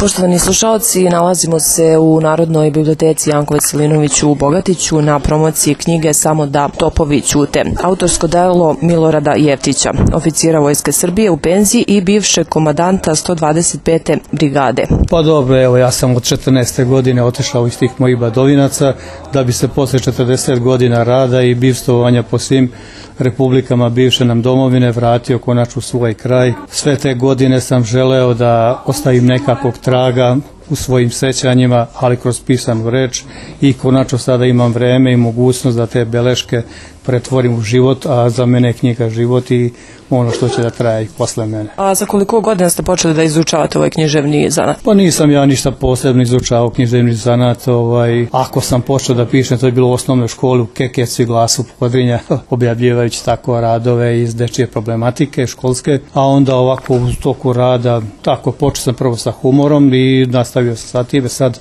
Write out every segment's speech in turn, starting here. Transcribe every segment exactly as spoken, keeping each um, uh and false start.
Poštovani slušalci, nalazimo se u Narodnoj biblioteci Janko Veselinović u Bogatiću na promociji knjige Samo da topovi ćute. Autorsko delo Milorada Jeftića, oficira Vojske Srbije u penziji i bivšeg komandanta sto dvadeset pete brigade. Pa dobro, evo ja sam od četrnaeste godine otišao iz tih mojih Badovinaca da bi se posle četrdeset godina rada i bivstvovanja po svim republikama bivše nam domovine vratio konačno u svoj kraj. Sve te godine sam želeo da ostavim nekakvog traga u svojim sećanjima, ali kroz pisanu reč, i konačno sada imam vreme i mogućnost da te beleške pretvorim u život, a za mene je knjiga život i ono što će da traje i posle mene. A za koliko godina ste počeli da izučavate ovaj književni zanat? Pa nisam ja ništa posebno izučavao književni zanat. Ovaj, ako sam počeo da pišem, to je bilo u osnovnoj školi u Kekecu i Glasu Podrinja, objavljivajući tako radove iz dečije problematike školske, a onda ovako u toku rada, tako počeo sam prvo sa humorom i nastavio sam sa time. Sad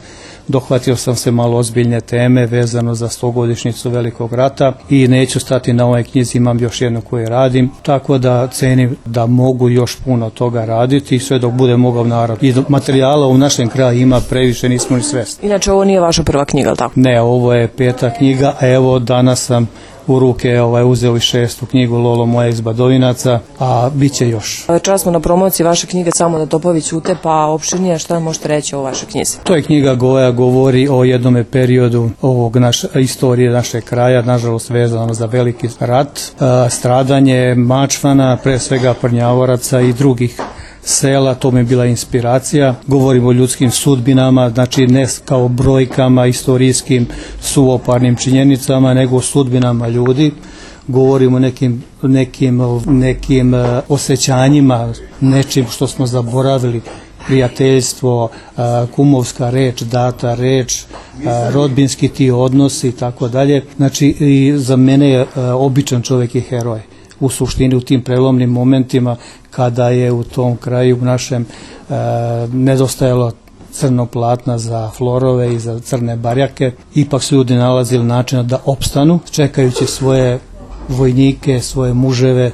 dohvatio sam se malo ozbiljne teme vezano za stogodišnjicu Velikog rata i neću stati na ovoj knjizi, imam još jednu koju radim, tako da cenim da mogu još puno toga raditi i sve dok bude mogao narod. I materijala u našem kraju ima previše, nismo ni svesni. Inače, ovo nije vaša prva knjiga, tako? Ne, ovo je peta knjiga, a evo danas sam u ruke ovaj, uzeo i šestu knjigu Lolo moja iz Badovinaca, a bit će još. Čas smo na promociji vaše knjige Samo da topovi ćute, pa opširnije šta možete reći o vašoj knjizi? To je knjiga koja govori o jednome periodu ovog naš, istorije našeg kraja, nažalost vezano za Veliki rat, a, stradanje Mačvana, pre svega Prnjavoraca i drugih sela, to mi je bila inspiracija. Govorimo o ljudskim sudbinama, znači ne kao brojkama, istorijskim suvoparnim činjenicama, nego o sudbinama ljudi. Govorimo o nekim, nekim, nekim osjećanjima, nečim što smo zaboravili, prijateljstvo, kumovska reč, data reč, rodbinski ti odnosi i tako dalje. Znači i za mene je običan čovjek i heroj. U suštini u tim prelomnim momentima kada je u tom kraju u našem e, nedostajalo crnog platna za florove i za crne barjake, ipak su ljudi nalazili načina da opstanu, čekajući svoje vojnike, svoje muževe,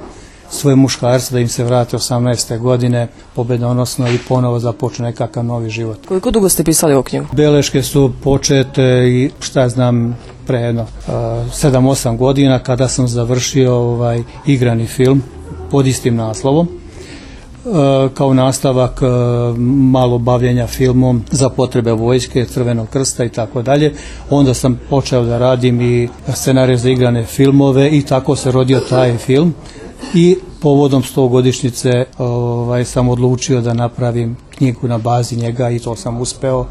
svoje muškarce da im se vrate osamnaeste godine pobedonosno i ponovo započne nekakav novi život. Koliko dugo ste pisali ovu knjigu? Beleške su počete i šta znam pre jedno sedam osam godina kada sam završio ovaj igrani film pod istim naslovom. Kao nastavak malo bavljenja filmom za potrebe vojske, Crvenog krsta i tako dalje. Onda sam počeo da radim i scenarije za igrane filmove i tako se rodio taj film. I povodom stogodišnjice ovaj, sam odlučio da napravim knjigu na bazi njega i to sam uspeo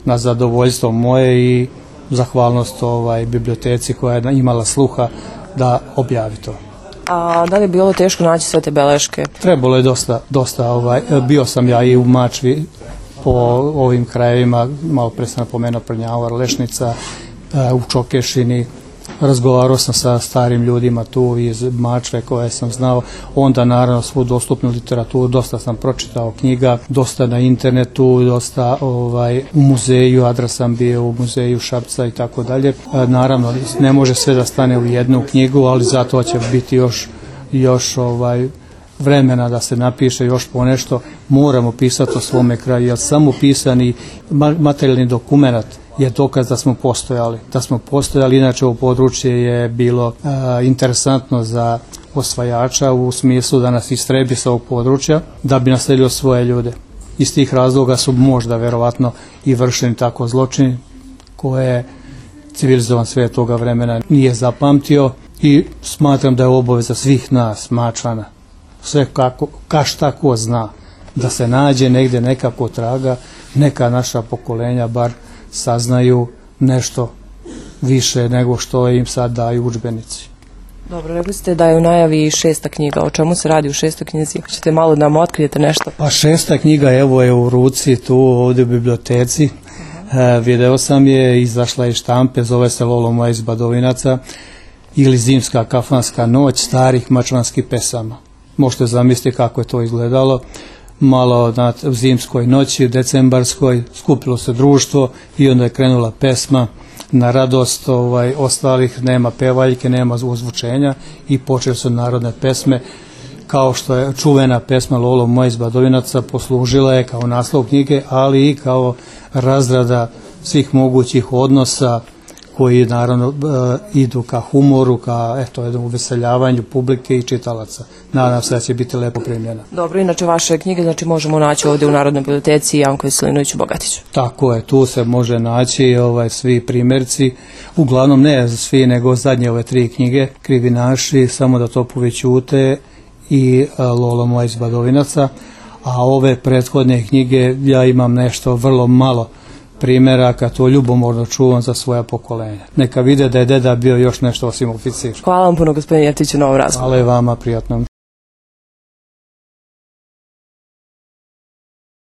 na zadovoljstvo moje i zahvalnost ovaj, biblioteci koja je imala sluha da objavi to. A da li je bilo teško naći sve te beleške? Trebalo je dosta, dosta ovaj, bio sam ja i u Mačvi po ovim krajevima, malo pre sam napomenuo Prnjavar, Lešnica, u Čokešini. Razgovarao sam sa starim ljudima tu iz Mačve koje sam znao, onda naravno svu dostupnu literaturu, dosta sam pročitao knjiga, dosta na internetu, dosta ovaj, u muzeju, adres sam bio u muzeju Šapca i tako dalje. Naravno ne može sve da stane u jednu knjigu, ali zato će biti još, još ovaj, vremena da se napiše još ponešto. Moramo pisati o svome kraju, jer samo pisani materijalni dokument je dokaz da smo postojali. Da smo postojali, inače ovo područje je bilo a, interesantno za osvajača u smislu da nas istrebi sa ovog područja, da bi naselio svoje ljude. Iz tih razloga su možda verovatno i vršeni tako zločini koje civilizovan svijet toga vremena nije zapamtio i smatram da je obaveza svih nas, Mačvana, sve kako, ka šta ko zna, da se nađe negdje nekako traga, neka naša pokolenja bar saznaju nešto više nego što im sad daju udžbenici. Dobro, rekli ste da je u najavi šesta knjiga. O čemu se radi u šestoj knjizi? Hoćete malo da nam otkrijete nešto? Pa šesta knjiga evo je u ruci tu ovdje u biblioteci. E, video sam je, izašla iz štampe, zove se Lolo moja iz Badovinaca ili Zimska kafanska noć starih mačvanskih pesama. Možete zamisliti kako je to izgledalo. Malo na zimskoj noći, decembarskoj, skupilo se društvo i onda je krenula pesma na radost ovaj, ostalih, nema pevaljke, nema ozvučenja i počeli su narodne pesme kao što je čuvena pesma Lolo moja iz Badovinaca, poslužila je kao naslov knjige, ali i kao razrada svih mogućih odnosa koji naravno e, idu ka humoru, ka eto, jednom uveseljavanju publike i čitalaca. Nadam se da će biti lepo primljena. Dobro, inače vaše knjige znači možemo naći ovdje u Narodnoj biblioteci Janko Veselinović u Bogatiću. Tako je, tu se može naći ovaj, svi primjerci, uglavnom ne svi, nego zadnje ove tri knjige, Krivinaši, Samo da topovi ćute i a, Lolo moja iz Badovinaca, a ove prethodne knjige ja imam nešto vrlo malo primjeraka, to ljubomorno čuvam za svoja pokolenja. Neka vide da je deda bio još nešto osim oficir. Hvala vam puno, gospodine Jeftiću, na ovom razgovoru. Hvala i vama, prijatno.